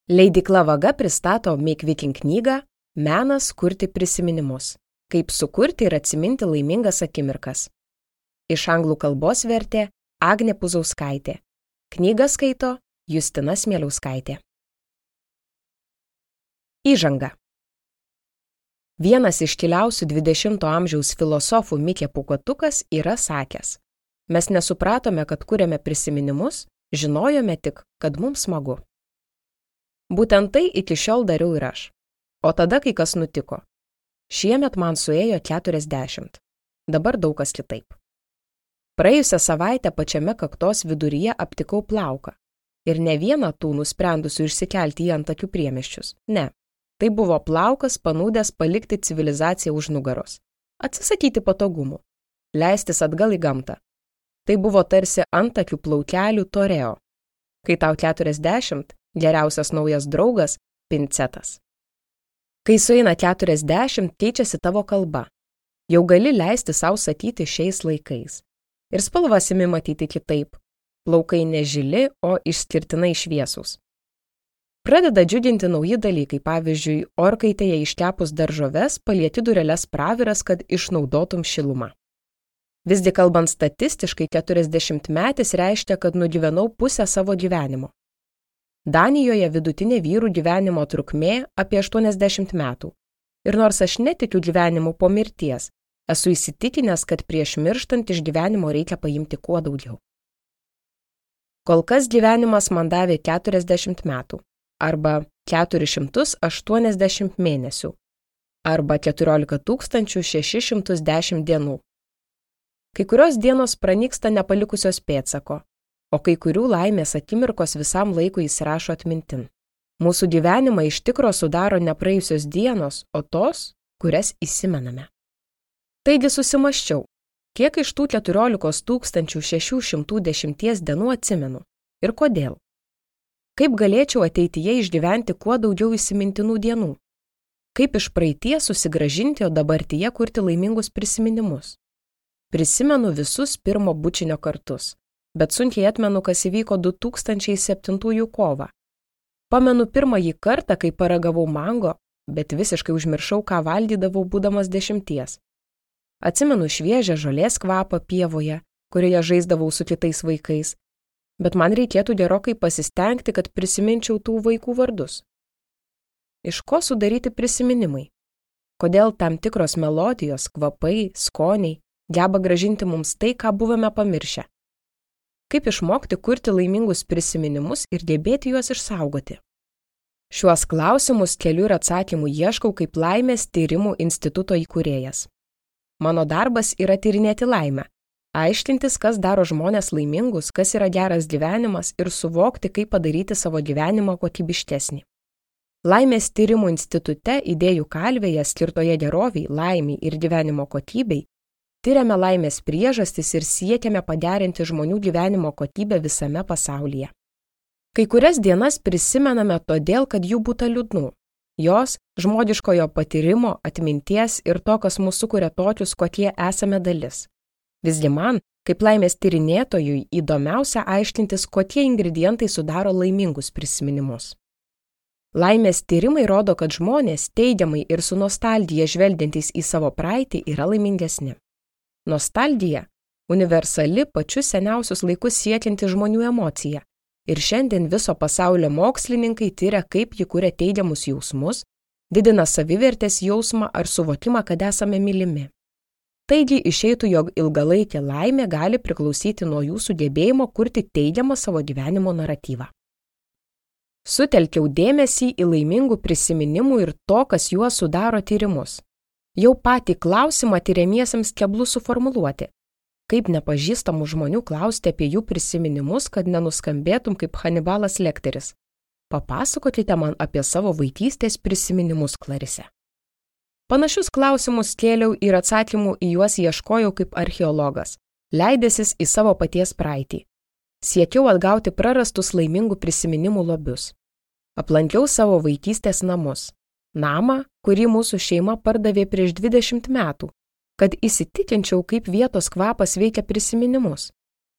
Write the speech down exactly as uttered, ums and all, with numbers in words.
Leidykla Vaga pristato Make Viking knygą Menas kurti prisiminimus. Kaip sukurti ir atsiminti laimingas akimirkas. Iš anglų kalbos vertė Agnė Puzauskaitė. Knygą skaito Justina Smieliauskaitė. Įžanga. Vienas iškiliausių dvidešimto amžiaus filosofų Mikė Pūkuotukas yra sakęs: mes nesupratome, kad kuriame prisiminimus, žinojome tik, kad mums smagu. Būtent tai iki šiol dariau ir aš. O tada kai kas nutiko. Šiemet man suėjo keturiasdešimt. Dabar daug kas kitaip. Praėjusią savaitę pačiame kaktos viduryje aptikau plauką. Ir ne vieną tų nusprendusių išsikelti į antakių priemiesčius. Ne. Tai buvo plaukas panūdęs palikti civilizaciją už nugaros. Atsisakyti patogumų. Leistis atgal į gamtą. Tai buvo tarsi antakių plaukelių toreo. Kai tau keturiasdešimt, geriausias naujas draugas – pincetas. Kai sueina keturiasdešimt, keičiasi tavo kalba. Jau gali leisti sau sakyti šiais laikais. Ir spalvas imi matyti kitaip. Plaukai ne žili, o išskirtinai šviesūs. Pradeda džiuginti nauji dalykai, pavyzdžiui, orkaitėje iškepus daržoves palieti dureles praviras, kad išnaudotum šilumą. Visgi kalbant statistiškai, keturiasdešimtmetis reiškia, kad nugyvenau pusę savo gyvenimo. Danijoje vidutinė vyrų gyvenimo trukmė apie aštuoniasdešimt metų. Ir nors aš netikiu gyvenimu po mirties, esu įsitikinęs, kad prieš mirštant iš gyvenimo reikia paimti kuo daugiau. Kol kas gyvenimas man davė keturiasdešimt metų, arba keturis šimtus aštuoniasdešimt mėnesių, arba keturiolika tūkstančių šešis šimtus dešimt dienų. Kai kurios dienos pranyksta nepalikusios pėdsako, o kai kurių laimės akimirkos visam laikui įsirašo atmintin. Mūsų gyvenimą iš tikro sudaro ne praėjusios dienos, o tos, kurias įsimename. Taigi susimąsčiau, kiek iš tų keturiolikos tūkstančių šešių šimtų dešimties dienų atsimenu ir kodėl. Kaip galėčiau ateityje išgyventi kuo daugiau įsimintinų dienų? Kaip iš praeities susigrąžinti, o dabartyje kurti laimingus prisiminimus? Prisimenu visus pirmo bučinio kartus, bet sunkiai atmenu, kas įvyko du tūkstančiai septintųjų kovą. Pamenu pirmąjį kartą, kai paragavau mango, bet visiškai užmiršau, ką valgydavau būdamas dešimties. Atsimenu šviežią žolės kvapą pievoje, kurioje žaisdavau su kitais vaikais, bet man reikėtų gerokai pasistengti, kad prisiminčiau tų vaikų vardus. Iš ko sudaryti prisiminimai? Kodėl tam tikros melodijos, kvapai, skoniai geba grąžinti mums tai, ką buvome pamiršę? Kaip išmokti kurti laimingus prisiminimus ir gebėti juos išsaugoti? Šiuos klausimus keliu ir atsakymų ieškau kaip Laimės tyrimų instituto įkūrėjas. Mano darbas yra tyrinėti laimę, aiškintis, kas daro žmones laimingus, kas yra geras gyvenimas ir suvokti, kaip padaryti savo gyvenimą kokybiškesnį. Laimės tyrimų institute idėjų kalvėje skirtoje geroviai, laimiai ir gyvenimo kokybei tiriame laimės priežastis ir siekiame pagerinti žmonių gyvenimo kokybę visame pasaulyje. Kai kurias dienas prisimename todėl, kad jų būta liūdnų. Jos žmogiškojo patyrimo, atminties ir to, kas mūsų sukuria tokius, kokie esame dalis. Visgi man, kaip laimės tyrinėtojui, įdomiausia aiškintis, kokie ingredientai sudaro laimingus prisiminimus. Laimės tyrimai rodo, kad žmonės teigiamai ir su nostalgija žvelgiantys į savo praeitį yra laimingesni. Nostalgija – universali pačius seniausius laikus siekianti žmonių emocija. Ir šiandien viso pasaulio mokslininkai tyria, kaip ji kuria teigiamus jausmus, didina savivertės jausmą ar suvokimą, kad esame mylimi. Taigi išeitų, jog ilgalaikė laimė gali priklausyti nuo jūsų gebėjimo kurti teigiamą savo gyvenimo naratyvą. Sutelkiau dėmesį į laimingų prisiminimų ir to, kas juos sudaro tyrimus. Jau patį klausimą tyriamiesiems keblu suformuluoti. Kaip nepažįstamų žmonių klausti apie jų prisiminimus, kad nenuskambėtum kaip Hanibalas Lekteris. Papasakokite man apie savo vaikystės prisiminimus, Klarise. Panašius klausimus kėliau ir atsakymų į juos ieškojau kaip archeologas, leidęsis į savo paties praeitį. Siekiau atgauti prarastus laimingų prisiminimų lobius. Aplankiau savo vaikystės namus. Namą, kurį mūsų šeima pardavė prieš dvidešimt metų. Kad įsitikinčiau, kaip vietos kvapas veikia prisiminimus.